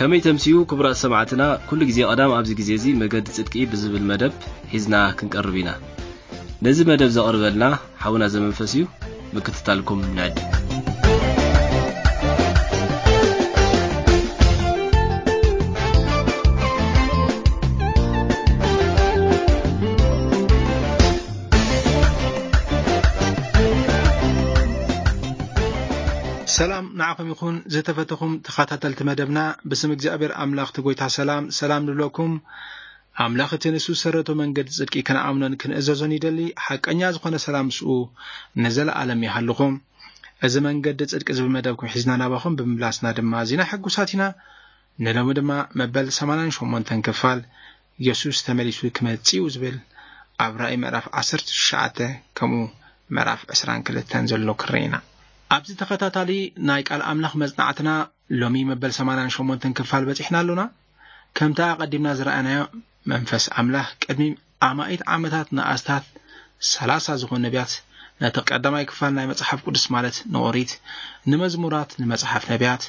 ከመይ ተምስዩ ክቡራት ሰማዕትና፣ ኩሉ ግዜ ቀዳም ኣብዚ ግዜ እዚ መገዲ ጽድቂ ብዝብል መደብ ሒዝና ክንቀርብ ኢና። ነዚ መደብ ዘቕርበልና ሓውና ዘመንፈስ እዩ። ምክትታልኩም ንዕድም። ሰላም ንዓኹም ይኹን ዝተፈተኹም ተኸታተልቲ መደብና። ብስም እግዚኣብሔር ኣምላኽ እቲ ጎይታ ሰላም ሰላም ንብለኩም። ኣምላኽ እቲ ንሱ ዝሰረቶ መንገዲ ጽድቂ ክንኣምኖን ክንእዘዞን ይደሊ። ሓቀኛ ዝኾነ ሰላም ምስኡ ንዘለኣለም ይሃልኹም። እዚ መንገዲ ጽድቂ ዝብል መደብኩም ሒዝና ናባኹም ብምምላስና ድማ ኣዚና ሕጉሳት ኢና። ንሎሚ ድማ መበል ሰማንያን ሸሞንተን ክፋል የሱስ ተመሊሱ ክመጽእ እዩ ዝብል ኣብ ራእይ ምዕራፍ ዓሰርተ ትሽዓተ ከምኡ ምዕራፍ ዕስራን ክልተን ዘሎ ክርኢ ኢና። ኣብዚ ተኸታታሊ ናይ ቃል ኣምላኽ መጽናዕትና ሎሚ መበል ሰማንያን ሸሞንተን ክፋል በጺሕና ኣሎና። ከምቲ ኣቐዲምና ዝረኣናዮ መንፈስ ኣምላኽ ቅድሚ ኣማኢት ዓመታት ንኣስታት ሰላሳ ዝኾኑ ነቢያት ነቲ ቀዳማይ ክፋል ናይ መጽሓፍ ቅዱስ ማለት ንኦሪት፣ ንመዝሙራት፣ ንመጽሓፍ ነቢያት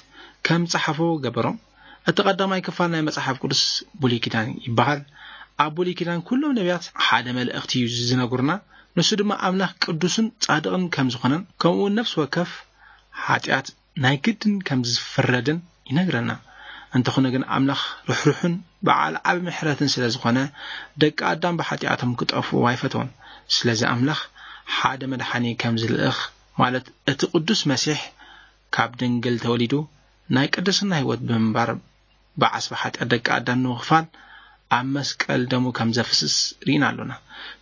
ከም ጸሓፎ ገበሮም። እቲ ቀዳማይ ክፋል ናይ መጽሓፍ ቅዱስ ብሉይ ኪዳን ይበሃል። ኣብ ብሉይ ኪዳን ኩሎም ነቢያት ሓደ መልእኽቲ እዩ ዝነግሩና። ንሱ ድማ ኣምላኽ ቅዱስን ጻድቕን ከም ዝኾነን ከምኡ እውን ነፍሲ ወከፍ ሓጢኣት ናይ ግድን ከም ዝፍረድን ይነግረና። እንተኾነ ግን ኣምላኽ ርሕሩሕን በዓል ዓቢ ምሕረትን ስለ ዝኾነ ደቂ ኣዳም ብሓጢኣቶም ክጠፍኡ ኣይፈተውን። ስለዚ ኣምላኽ ሓደ መድሓኒ ከም ዝልእኽ ማለት እቲ ቅዱስ መሲሕ ካብ ድንግል ተወሊዱ ናይ ቅድስና ህይወት ብምንባር ብዓስቢ ሓጢኣት ደቂ ኣዳም ንምኽፋል ኣብ መስቀል ደሙ ከም ዘፍስስ ርኢና ኣሎና።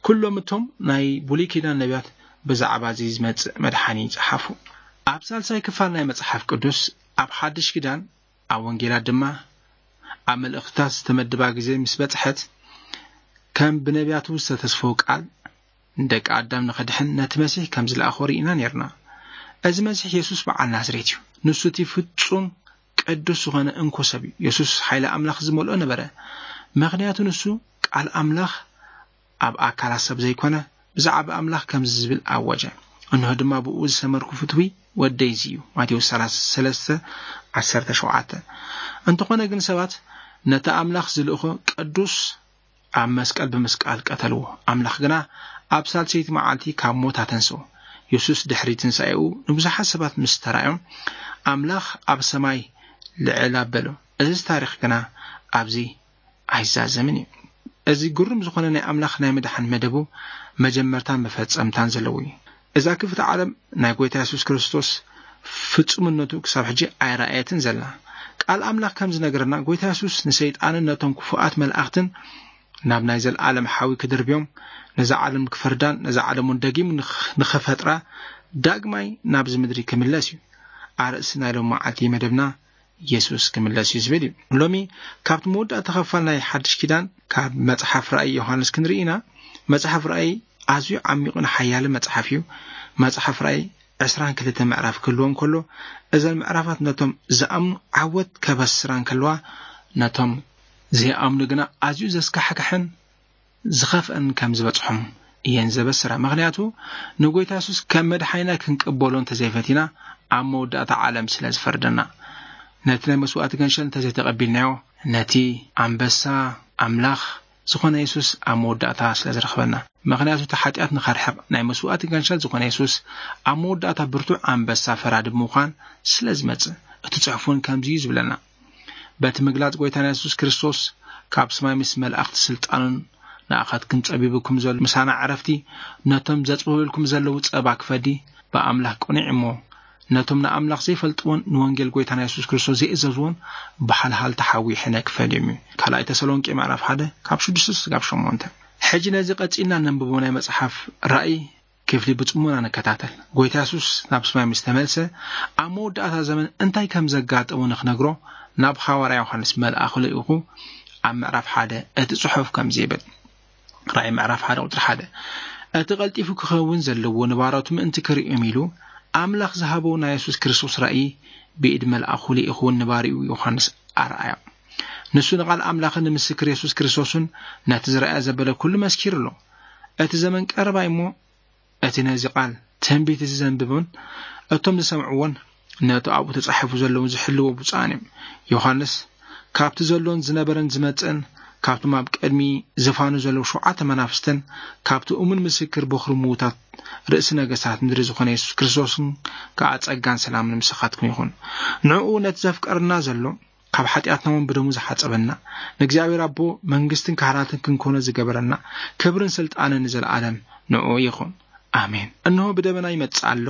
ኩሎም እቶም ናይ ብሉይ ኪዳን ነቢያት ብዛዕባ እዚ ዝመጽእ መድሓኒ ይጸሓፉ። ኣብ ሳልሳይ ክፋል ናይ መጽሓፍ ቅዱስ ኣብ ሓድሽ ኪዳን ኣብ ወንጌላት ድማ ኣብ መልእኽትታት ዝተመድባ ግዜ ምስ በጽሐት ከም ብነቢያቱ ዝተተስፈው ቃል ንደቂ ኣዳም ንኸድሕን ነቲ መሲሕ ከም ዝለኣኾ ርኢና ኔርና። እዚ መሲሕ የሱስ በዓል ናዝሬት እዩ። ንሱ እቲ ፍጹም ቅዱስ ዝኾነ እንኮ ሰብ እዩ። የሱስ ሓይሊ ኣምላኽ ዝመልኦ ነበረ። ምኽንያቱ ንሱ ቃል ኣምላኽ ኣብ ኣካላት ሰብ ዘይኮነ ብዛዕባ ኣምላኽ ከምዚ ዝብል ኣወጀ፣ እንሆ ድማ ብኡ ዝሰመርኩ ፍትዊ ወደይ እዚ እዩ። ማቴዎስ ሰለስተ ዓሰርተ ሸውዓተ። እንተኾነ ግን ሰባት ነቲ ኣምላኽ ዝልእኾ ቅዱስ ኣብ መስቀል ብምስቃል ቀተልዎ። ኣምላኽ ግና ኣብ ሳልሰይቲ መዓልቲ ካብ ሞት ኣተንስኦ። የሱስ ድሕሪ ትንሳኤኡ ንብዙሓት ሰባት ምስ ተራእዮም ኣምላኽ ኣብ ሰማይ ልዕል ኣበሎ። እዚ ታሪኽ ግና ኣብዚ ኣይዛዘምን እዩ። እዚ ግሩም ዝኾነ ናይ ኣምላኽ ናይ ምድሓን መደቡ መጀመርታን መፈጸምታን ዘለዎ እዩ። እዛ ክፍቲ ዓለም ናይ ጎይታ የሱስ ክርስቶስ ፍጹምነቱ ክሳብ ሕጂ ኣይረኣየትን ዘላ። ቃል ኣምላኽ ከም ዝነግረና፣ ጎይታ የሱስ ንሰይጣንን ነቶም ክፉኣት መላእኽትን ናብ ናይ ዘለኣለም ሓዊ ክድርብዮም፣ ነዛ ዓለም ክፈርዳን ነዛ ዓለም እውን ደጊሙ ንኽ-፣ ንኽፈጥራ ዳግማይ ናብዚ ምድሪ ክምለስ እዩ። ኣርእስቲ ናይ ሎም መዓልቲ መደብና የሱስ ክምለስ እዩ ዝብል እዩ። ሎሚ ካብቲ መወዳእታ ክፋል ናይ ሓድሽ ኪዳን ካብ መጽሓፍ ራእይ ዮሃንስ ክንርኢ ኢና። መጽሓፍ ራእይ ኣዝዩ ዓሚቑን ሓያልን መጽሓፍ እዩ። መጽሓፍ ራእይ ዕስራን ክልተ ምዕራፍ ክህልዎ እንከሎ፣ እዘን ምዕራፋት ነቶም ዝኣምኑ ዓወት ከበስራ እንከለዋ፣ ነቶም ዘይኣምኑ ግና ኣዝዩ ዘስካሕክሕን ዝኸፍአን ከም ዝበጽሖም እየን ዘበስራ። ምኽንያቱ ንጎይታ የሱስ ከም መድሓኒና ክንቅበሎ እንተዘይፈቲና፣ ኣብ መወዳእታ ዓለም ስለ ዝፈርደና። ነቲ ናይ መስዋእቲ ገንሸል እንተዘይተቐቢልናዮ፣ ነቲ ኣንበሳ ኣምላኽ ዝኾነ የሱስ ኣብ መወዳእታ ስለ ዝረኽበና። ምኽንያቱ እቲ ሓጢኣት ንኸርሕቕ ናይ መስዋእቲ ገንሸል ዝኾነ የሱስ ኣብ መወዳእታ ብርቱዕ ኣንበሳ ፈራዲ ብምዃን ስለ ዝመጽእ። እቲ ጽሑፍ እውን ከምዚ እዩ ዝብለና። በቲ ምግላጽ ጎይታና የሱስ ክርስቶስ ካብ ሰማይ ምስ መላእኽቲ ስልጣኑን ንኣኻትኩም ጸቢቡኩም ዘሎ ምሳና ዕረፍቲ ነቶም ዘጽብብልኩም ዘለዉ ጸባ ክፈዲ ብኣምላኽ ቅኑዕ እሞ ነቶም ንኣምላኽ ዘይፈልጥዎን ንወንጌል ጎይታና የሱስ ክርስቶስ ዘይእዘዝዎን ብሓልሃልቲ ሓዊ ሕነ ክፈልዮም እዩ። ካልኣይ ተሰሎንቄ ምዕራፍ ሓደ ካብ ሽዱሽተ ስጋብ ሸሞንተ። ሕጂ ነዚ ቀጺልና ነንብቦ ናይ መጽሓፍ ራእይ ክፍሊ ብጽሞና ንከታተል። ጎይታ የሱስ ናብ ሰማይ ምስ ተመልሰ፣ ኣብ መወዳእታ ዘመን እንታይ ከም ዘጋጠሞ ንኽነግሮ ናብ ሃዋርያ ዮሃንስ መልኣኹ ልኢኹ ኣብ ምዕራፍ ሓደ እቲ ጽሑፍ ከምዚ ይብል። ራእይ ምዕራፍ ሓደ ቁጽሪ ሓደ። እቲ ቀልጢፉ ክኸውን ዘለዎ ንባሮቱ ምእንቲ ክርእዮም ኢሉ፣ ኣምላኽ ዝሃቦ ናይ የሱስ ክርስቶስ ራእይ ብኢድ መልኣኹ ልኢኹ ንባሪኡ ዮሃንስ ኣርኣዮ። ንሱ ንቓል ኣምላኽን ንምስክር የሱስ ክርስቶስን ነቲ ዝረኣየ ዘበለ ኩሉ መስኪሩ ኣሎ። እቲ ዘመን ቀረባ እሞ እቲ ነዚ ቃል ትንቢት እዚ ዘንብቡን እቶም ዝሰምዕዎን ነቲ ኣብኡ ተጻሒፉ ዘለውን ዝሕልዎ ብፁዓን እዮም። ዮሃንስ ካብቲ ዘሎን ዝነበረን ዝመጽእን፣ ካብቶም ኣብ ቅድሚ ዝፋኑ ዘለዉ ሸውዓተ መናፍስትን፣ ካብቲ እሙን ምስክር በኹሪ ምዉታት ርእሲ ነገስታት ምድሪ ዝኾነ የሱስ ክርስቶስን ከኣ ጸጋን ሰላምን ምሳኻትኩም ይኹን። ንዕኡ ነቲ ዘፍቀረና ዘሎ፣ ካብ ሓጢኣትና እውን ብደሙ ዝሓጸበና፣ ንእግዚኣብሔር ኣቦ መንግስትን ካህናትን ክንኮኖ ዝገበረና፣ ክብርን ስልጣንን ንዘለኣለም ንዕኡ ይኹን። ኣሜን። እንሆ ብደበና ይመጽእ ኣሎ፣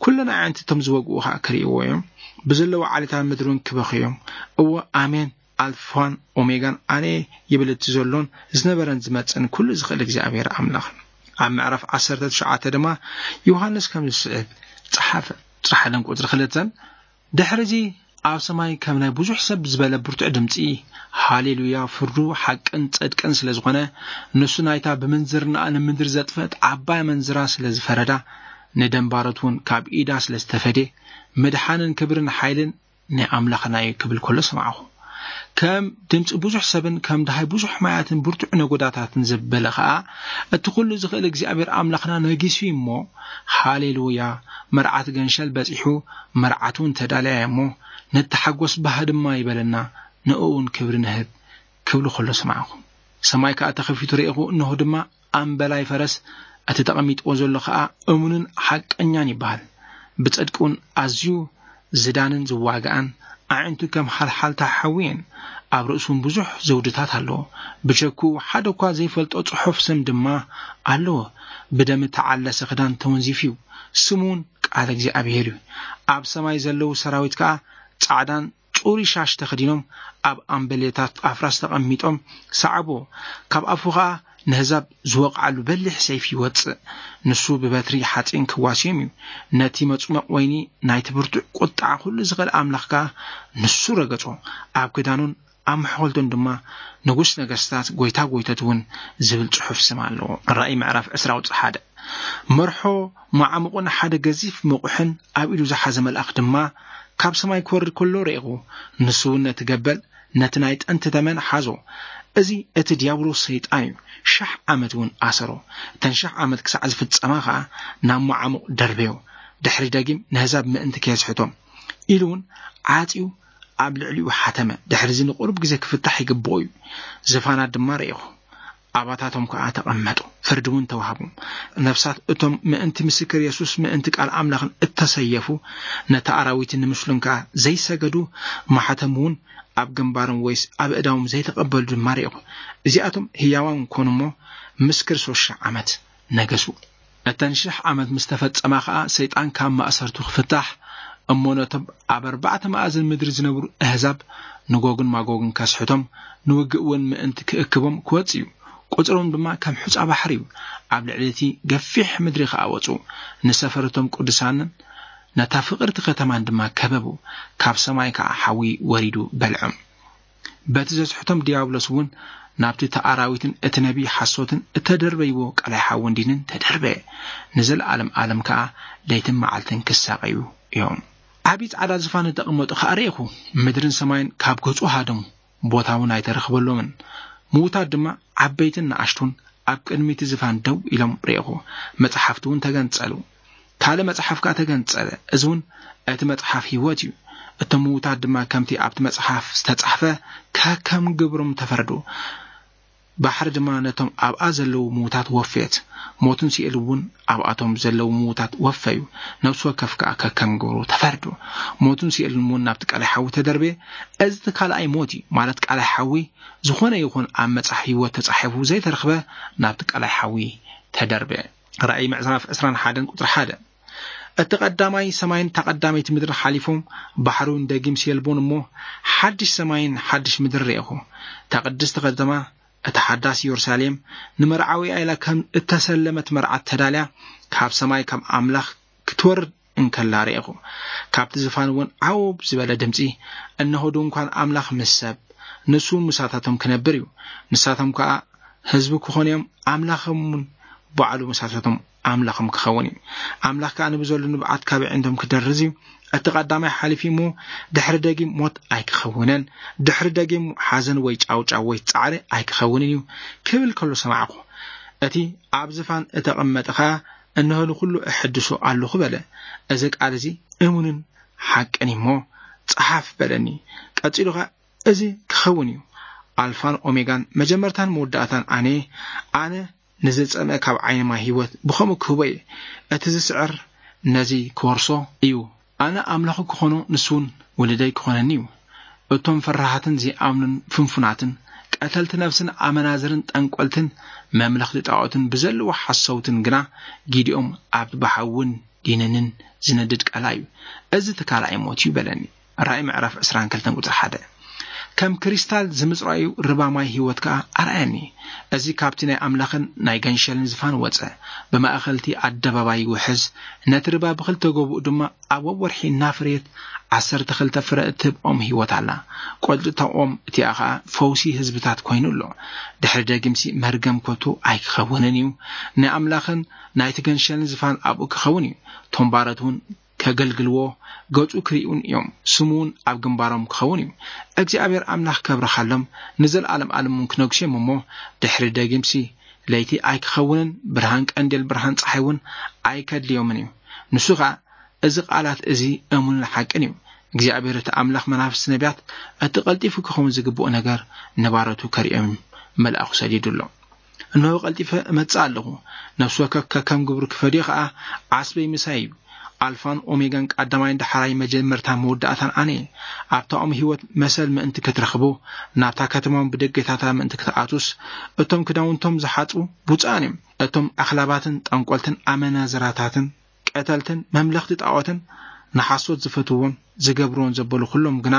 ኩለን ኣዕንቲ እቶም ዝወግኡ ኸኣ ክርእይዎ እዮም፣ ብዘለዉ ዓሌታት ምድሪ እውን ክበኽዩ እዮም። እወ፣ ኣሜን። ኣልፋን ኦሜጋን ኣነ ይብል እቲ ዘሎን ዝነበረን ዝመጽእን ኩሉ ዝኽእል እግዚኣብሔር ኣምላኽ። ኣብ ምዕራፍ ዓሰርተ ትሽዓተ ድማ ዮሃንስ ከም ዝስዕብ ጸሓፈ። ቁጽሪ ሓደን ቁጽሪ ክልተን፣ ድሕሪ እዚ ኣብ ሰማይ ከም ናይ ብዙሕ ሰብ ዝበለ ብርቱዕ ድምጺ፣ ሃሌሉያ፣ ፍርዱ ሓቅን ጽድቅን ስለ ዝኾነ፣ ንሱ ናይታ ብምንዝርናኣ ንምድሪ ዘጥፍአት ዓባይ ኣመንዝራ ስለ ዝፈረዳ፣ ንደንባሮት እውን ካብ ኢዳ ስለ ዝተፈድየ፣ ምድሓንን ክብርን ሓይልን ናይ ኣምላኽና እዩ ክብል ከሎ ሰማዕኹ። ከም ድምጺ ብዙሕ ሰብን ከም ደሃይ ብዙሕ ማያትን ብርቱዕ ነጎዳታትን ዘበለ ኸኣ፣ እቲ ኩሉ ዝኽእል እግዚኣብሔር ኣምላኽና ነጊሱ እዩ እሞ፣ ሃሌሉያ፣ መርዓት ገንሸል በጺሑ፣ መርዓት እውን ተዳልያ እያ እሞ፣ ንተሓጎስ ባህ ድማ ይበለና፣ ንእኡ እውን ክብሪ ንህብ ክብሉ ከሎ ሰማዕኹ። ሰማይ ከኣ ተኸፊቱ ርኤኹ፣ እንሆ ድማ ኣምበላይ ፈረስ፣ እቲ ተቐሚጥዎ ዘሎ ኸኣ እሙንን ሓቀኛን ይበሃል። ብጽድቂ እውን ኣዝዩ ዝዳንን ዝዋግኣን፣ ኣዒንቱ ከም ሓልሓልታ ሓዊ እየን፣ ኣብ ርእሱ እውን ብዙሕ ዘውድታት ኣለዎ። ብሸኩ ሓደ እኳ ዘይፈልጦ ጽሑፍ ስም ድማ ኣለዎ። ብደም እተዓለሰ ክዳን ተወንዚፉ እዩ። ስሙ እውን ቃል እግዚኣብሔር እዩ። ኣብ ሰማይ ዘለዉ ሰራዊት ከኣ ጻዕዳን ጽሩይ ሻሽ ተኸዲኖም፣ ኣብ ኣምበሌታት ኣፍራስ ተቐሚጦም ሰዓብዎ። ካብ ኣፉ ኸኣ ነህዛብ ዝወቕዓሉ በሊሕ ሰይፊ ይወጽእ። ንሱ ብበትሪ ሓጺን ክዋስዮም እዩ። ነቲ መጽመቕ ወይኒ ናይቲ ብርቱዕ ቁጥዓ ኩሉ ዝኽእል ኣምላኽ ከኣ ንሱ ረገጾ። ኣብ ክዳኑን ኣብ መሕኮልቱን ድማ ንጉስ ነገስታት፣ ጎይታ ጎይቶት እውን ዝብል ጽሑፍ ስም ኣለዎ። ራእይ ምዕራፍ ዕስራ ቁጽሪ ሓደ። መርሖ መዓሙቕን ሓደ ገዚፍ መቑሕን ኣብ ኢዱ ዝሓዘ መልኣኽ ድማ ካብ ሰማይ ክወርድ ከሎ ርኤኹ። ንሱ እውን ነቲ ገበል፣ ነቲ ናይ ጥንቲ ተመን ሓዞ። እዚ እቲ ዲያብሎስ ሰይጣን እዩ። ሽሕ ዓመት እውን ኣሰሮ። እተን ሽሕ ዓመት ክሳዕ ዝፍጸማ ኸኣ ናብ መዓሙቕ ደርበዮ። ድሕሪ ደጊም ነህዛብ ምእንቲ ከየስሕቶም ኢሉ እውን ዓጽዩ ኣብ ልዕሊኡ ሓተመ። ድሕሪ እዚ ንቑሩብ ግዜ ክፍታሕ ይግብኦ እዩ። ዝፋናት ድማ ርኤኹ። ኣባታቶም ከኣ ተቐመጡ፣ ፍርዲ እውን ተዋህቦም። ነፍሳት እቶም ምእንቲ ምስክር የሱስ ምእንቲ ቃል ኣምላኽን እተሰየፉ፣ ነቲ ኣራዊትን ንምስሉን ከኣ ዘይሰገዱ፣ ማሕተም እውን ኣብ ግንባሮም ወይስ ኣብ እዳዎም ዘይተቐበሉ ድማ ርኤኹ። እዚኣቶም ህያዋን ኮኑ እሞ ምስ ክርስቶስ ሽሕ ዓመት ነገሱ። እተን ሽሕ ዓመት ምስ ተፈጸማ ኸኣ ሰይጣን ካብ ማእሰርቱ ክፍታሕ እሞ ነቶም ኣብ ኣርባዕተ መኣዝን ምድሪ ዝነብሩ ኣህዛብ ንጎግን ማጎግን ከስሕቶም ንውግእ እውን ምእንቲ ክእክቦም ክወጽእ እዩ። ቁጽሮም ድማ ከም ሑጻ ባሕሪ እዩ። ኣብ ልዕሊ እቲ ገፊሕ ምድሪ ኸኣ ወጹ። ንሰፈር እቶም ቅዱሳንን ነታ ፍቕርቲ ከተማን ድማ ከበቡ። ካብ ሰማይ ከኣ ሓዊ ወሪዱ በልዖም። በቲ ዘስሕቶም ዲያብሎስ እውን ናብቲ እቲ ኣራዊትን እቲ ነቢይ ሓሶትን እተደርበይዎ ቀላይ ሓውን ዲንን ተደርበየ። ንዘለኣለም ኣለም ከኣ ለይትን መዓልትን ክሳቐዩ እዮም። ዓቢ ጻዕዳ ዝፋን እተቐመጡ ከኣ ርኤኹ። ምድርን ሰማይን ካብ ገጹ ሃደሙ፣ ቦታ እውን ኣይተረኽበሎምን። ምዉታት ድማ ዓበይትን ንኣሽቱን ኣብ ቅድሚ እቲ ዝፋን ደው ኢሎም ርኤኹ። መጽሓፍቲ እውን ተገንጸሉ። ካልእ መጽሓፍ ከኣ ተገንጸለ። እዚ እውን እቲ መጽሓፍ ህይወት እዩ። እቶም ምዉታት ድማ ከምቲ ኣብቲ መጽሓፍ ዝተጻሕፈ ከከም ግብሮም ተፈረዱ። ባሕሪ ድማ ነቶም ኣብኣ ዘለዉ ምዉታት ወፈየት። ሞትን ሲኦልን እውን ኣብኣቶም ዘለዉ ምዉታት ወፈዩ። ነፍሲ ወከፍ ከኣ ከከም ግብሩ ተፈርዱ። ሞትን ሲኦልን እውን ናብቲ ቀላይ ሓዊ ተደርበየ። እዚ እቲ ካልኣይ ሞት እዩ፣ ማለት ቀላይ ሓዊ። ዝኾነ ይኹን ኣብ መጽሓፍ ህይወት ተጻሒፉ ዘይተረኽበ ናብቲ ቀላይ ሓዊ ተደርበየ። ራእይ ምዕራፍ ዕስራን ሓደን ቁጽሪ ሓደ። እቲ ቀዳማይ ሰማይን እታ ቀዳመይቲ ምድርን ሓሊፎም፣ ባሕሪ እውን ደጊም ሲኦል በኑ እሞ፣ ሓድሽ ሰማይን ሓድሽ ምድርን ርኤኹ። እታ ቅድስቲ ከተማ፣ እታ ሓዳስ የሩሳሌም፣ ንመርዓዊኣ ኢላ ከም እተሰለመት መርዓት ተዳልያ፣ ካብ ሰማይ ካብ ኣምላኽ ክትወርድ እንከላ ርኤኹ። ካብቲ ዝፋን እውን ዓው ዝበለ ድምጺ፣ "እንሆ ድንኳን ኣምላኽ ምስ ሰብ፣ ንሱ ምሳታቶም ክነብር እዩ። ንሳቶም ከኣ ህዝቢ ክኾኑ እዮም፣ ኣምላኽም እውን ባዕሉ ምሳታቶም ኣምላኽም ክኸውን እዩ። ኣምላኽ ከኣ ንብዘሉ ንብዓት ካብ ኣዒንቶም ክደርዝ እዩ። እቲ ቀዳማይ ሓሊፉ እሞ ድሕሪ ደጊም ሞት ኣይክኸውንን፣ ድሕሪ ደጊም ሓዘን ወይ ጫውጫው ወይ ጻዕሪ ኣይክኸውንን እዩ" ክብል ከሎ ሰማዕኩ። እቲ ኣብ ዝፋን እተቐመጠ ኸኣ፣ "እንሆ ንኹሉ እሕድሶ ኣለኹ" በለ። እዚ ቃል እዚ እሙንን ሓቅን እዩ እሞ ጸሓፍ በለኒ። ቀጺሉ ኸኣ እዚ ክኸውን እዩ። ኣልፋን ኦሜጋን፣ መጀመርታን መወዳእታን ኣነ፣ ኣነ ንዝጸምአ ካብ ዓይኒ ማይ ህይወት ብኸምኡ ክህቦ እየ። እቲ ዝስዕር ነዚ ክወርሶ እዩ። ኣነ ኣምላኹ ክኾኖ፣ ንሱ እውን ውሉደይ ክኾነኒ እዩ። እቶም ፈራሃትን ዘይኣምኑን ፍንፉናትን፣ ቀተልቲ ነፍስን ኣመናዝርን ጠንቆልትን መምለኽቲ ጣዖትን ብዘለዎ ሓሰውትን ግና፣ ጊዲኦም ኣብ ባሕውን ዲንንን ዝነድድ ቀላ እዩ። እዚ እቲ ካልኣይ ሞት እዩ በለኒ። ራእይ ምዕራፍ ዕስራን ክልተን ቁጽሪ ሓደ። ከም ክሪስታል ዝምጽራዩ ርባ ማይ ህይወት ከኣ ኣርኣየኒ። እዚ ካብቲ ናይ ኣምላኽን ናይ ገንሸልን ዝፋን ወጸ፣ ብማእከልቲ ኣደባባይ ይውሕዝ። ነቲ ርባ ብኽልተ ጎብኡ ድማ ኣብ ወርሒ እናፍረየት ዓሰርተ ክልተ ፍረ እትህብ ኦም ህይወት ኣላ። ቆጽሊ እታ ኦም እቲኣ ኸኣ ፈውሲ ህዝብታት ኮይኑ ኣሎ። ድሕሪ ደጊምሲ መርገም ከቶ ኣይክኸውንን እዩ። ናይ ኣምላኽን ናይቲ ገንሸልን ዝፋን ኣብኡ ክኸውን እዩ። እቶም ባሮት እውን ከገልግልዎ፣ ገጹ ክርእዩን እዮም። ስሙ እውን ኣብ ግንባሮም ክኸውን እዩ። እግዚኣብሔር ኣምላኽ ከብርኻሎም፣ ንዘለኣለም ኣለም እውን ክነግሱ እዮም። እሞ ድሕሪ ደጊምሲ ለይቲ ኣይክኸውንን፣ ብርሃን ቀንዴል ብርሃን ጸሓይ እውን ኣይከድልዮምን እዩ። ንሱ ኸኣ፣ እዚ ቃላት እዚ እሙንን ሓቅን እዩ። እግዚኣብሔር እቲ ኣምላኽ መናፍስቲ ነቢያት እቲ ቀልጢፉ ክኸውን ዝግብኦ ነገር ንባሮቱ ከርእዮም መልኣኹ ሰዲዱ ኣሎ። እንሆ ቀልጢፈ እመጽእ ኣለኹ። ነፍሲ ወከፍ ከከም ግብሩ ክፈድዮ ኸኣ ዓስበይ ምሳይ እዩ። ኣልፋን ኦሜጋን፣ ቀዳማይን ዳሕራይ፣ መጀመርታን መወዳእታን ኣነ እየ። ኣብታ ኦም ህይወት መሰል ምእንቲ ክትረኽቡ፣ ናብታ ከተማ ብደገታታ ምእንቲ ክትኣቱስ፣ እቶም ክዳውንቶም ዝሓጹ ብፁዓን እዮም። እቶም ኣኽላባትን ጠንቆልትን ኣመናዝራታትን ቀተልትን መምለኽቲ ጣዖትን ንሓሶት ዝፈትውዎን ዝገብርዎን ዘበሉ ኩሎም ግና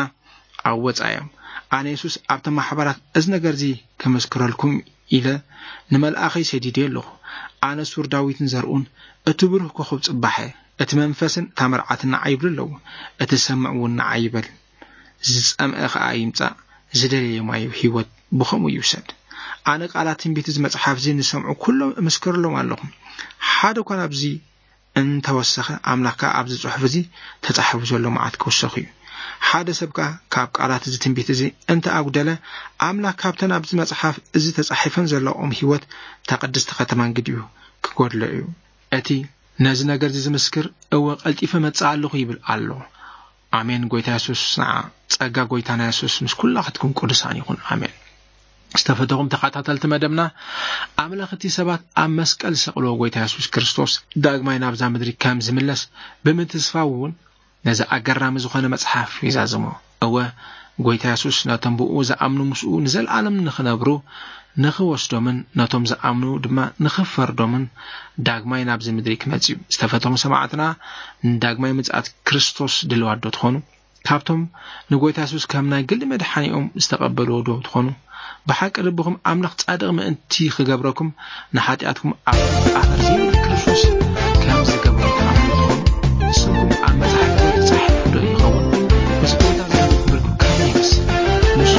ኣብ ወጻኢ እዮም። ኣነ የሱስ ኣብቲ ማሕበራት እዚ ነገር እዚ ክምስክረልኩም ኢለ ንመልኣኸይ ሰዲድዮ ኣለኹ። ኣነ ሱር ዳዊትን ዘርኡን፣ እቲ ብሩህ ኮኸብ ጽባሕ፣ እቲ መንፈስን እታ መርዓትን ንዓይ ይብሉ ኣለዉ። እቲ ዝሰምዕ እውን ንዓይ ይበል። ዝጸምአ ኸኣ ይምጻእ፣ ዝደለየ ማይ ህይወት ብኸምኡ ይውሰድ። ኣነ ቃላት ትንቢት እዚ መጽሓፍ እዚ ንሰምዑ ኩሎም እምስክረሎም ኣለኹ። ሓደ እኳ ናብዚ እንተወሰኸ፣ ኣምላኽ ከኣ ኣብዚ ጽሑፍ እዚ ተጻሒፉ ዘሎ መዓት ክውሰኽ እዩ። ሓደ ሰብ ከኣ ካብ ቃላት እዚ ትንቢት እዚ እንተ ኣጉደለ፣ ኣምላኽ ካብተን ኣብዚ መጽሓፍ እዚ ተጻሒፈን ዘለኦም ህይወት እታ ቅድስቲ ከተማን ግዲኡ ክጎድሎ እዩ። እቲ ነዚ ነገር እዚ ዝምስክር፣ እወ፣ ቀልጢፈ መጽእ ኣለኹ ይብል ኣሎ። ኣሜን። ጎይታ የሱስ ንዓ። ጸጋ ጎይታና የሱስ ምስ ኩላኽትኩም ቅዱሳን ይኹን። ኣሜን። ዝተፈተኹም ተኸታተልቲ መደብና፣ ኣምላኽ እቲ ሰባት ኣብ መስቀል ዝሰቕልዎ ጎይታ የሱስ ክርስቶስ ዳግማይ ናብዛ ምድሪ ከም ዝምለስ ብምትስፋው እውን ነዚ ኣገራሚ ዝኾነ መጽሓፍ ይዛዝሞ። እወ፣ ጎይታ የሱስ ነቶም ብኡ ዝኣምኑ ምስኡ ንዘለኣለም ንኽነብሩ ንኽወስዶምን ነቶም ዝኣምኑ ድማ ንኽፈርዶምን ዳግማይ ናብዚ ምድሪ ክመጽእ እዩ። ዝተፈተኹም ሰማዕትና፣ ንዳግማይ ምጽኣት ክርስቶስ ድልዋት ዶ ትኾኑ? ካብቶም ንጎይታ የሱስ ከም ናይ ግሊ መድሓኒኦም ዝተቐበልዎ ዶ ትኾኑ? ብሓቂ ልብኹም ኣምላኽ ጻድቕ ምእንቲ ክገብረኩም ንሓጢኣትኩም ኣብ ኣፈር ዘይብሉ ክርስቶስ ከም ዝገብሮ ትኣምኑ ትኾኑ? ስምኩም ኣብ መጽሓፍ ሕይወት ተጻሒፉ ዶ ይኸውን? ምስ ጎይታ ዝነበርኩም ከመይ ይመስል? ንሱ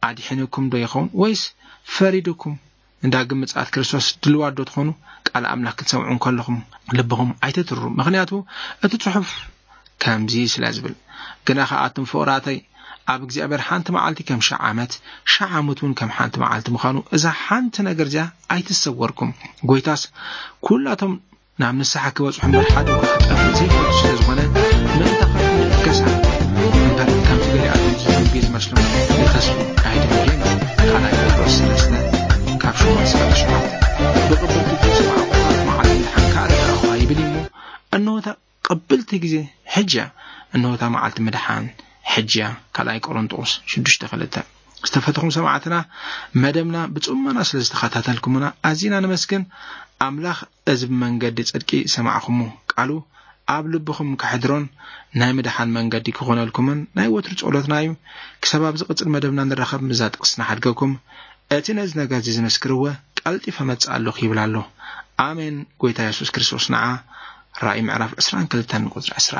ኣድሒኑኩም ዶ ይኸውን ወይስ ፈሪዱኩም? ንዳግም ምጽኣት ክርስቶስ ድልዋት ዶ ትኾኑ? ቃል ኣምላኽ ክትሰምዑ እንከለኹም ልብኹም ኣይትትርሩ፣ ምኽንያቱ እቲ ጽሑፍ ከምዚ ስለ ዝብል። ግና ኸኣ ኣቱም ፍቑራተይ፣ ኣብ እግዚኣብሔር ሓንቲ መዓልቲ ከም ሽሕ ዓመት፣ ሽሕ ዓመት እውን ከም ሓንቲ መዓልቲ ምዃኑ፣ እዛ ሓንቲ ነገር እዚኣ ኣይትሰወርኩም። ጎይታስ ኩላቶም ናብ ንስሓ ክበጽሑ እምበር ሓደ እኳ ክጠፍእ ዘይፈልጡ ስለ ዝኾነ፣ ምእንታኻትኩም ይልገሳ እምበር፣ ከምቲ ገሊኣቶም ዝትንቢ ዝመስሎም ይኸስቡ ኣይትበሉ። ካልኣይ ጴጥሮስ ሰለስተ ካብ ሸሞንተ እስካብ ትሽዓተ። ብቕብልቲ ዝሰማዕኩኻ መዓልቲ ምድሓንካ ኣረጋግኹኻ ይብል እዩ እሞ፣ እንሆ እታ ቅብልቲ ግዜ ሕጂ እያ፣ እንሆ እታ መዓልቲ ምድሓን ሕጂ እያ። ካልኣይ ቆሮንጦስ ሽዱሽተ ክልተ። ዝተፈተኹም ሰማዕትና፣ መደብና ብጽሞና ስለ ዝተኸታተልኩምና ኣዚና ነመስግን። ኣምላኽ እዚ ብመንገዲ ጽድቂ ሰማዕኹሞ ቃሉ ኣብ ልብኹም ከሕድሮን ናይ ምድሓን መንገዲ ክኾነልኩምን ናይ ወትሩ ጸሎትና እዩ። ክሳብ ኣብ ዝቕጽል መደብና ንራኸብ፣ ምስዛ ጥቕሲ ንሓድገኩም። እቲ ነዚ ነገር እዚ ዝምስክር እወ ቀልጢፈ እመጽእ ኣለኹ ይብል ኣሎ። ኣሜን። ጎይታ የሱስ ክርስቶስ ንዓ። ራእይ ምዕራፍ ዕስራን ክልተን ቁጽሪ ዕስራ።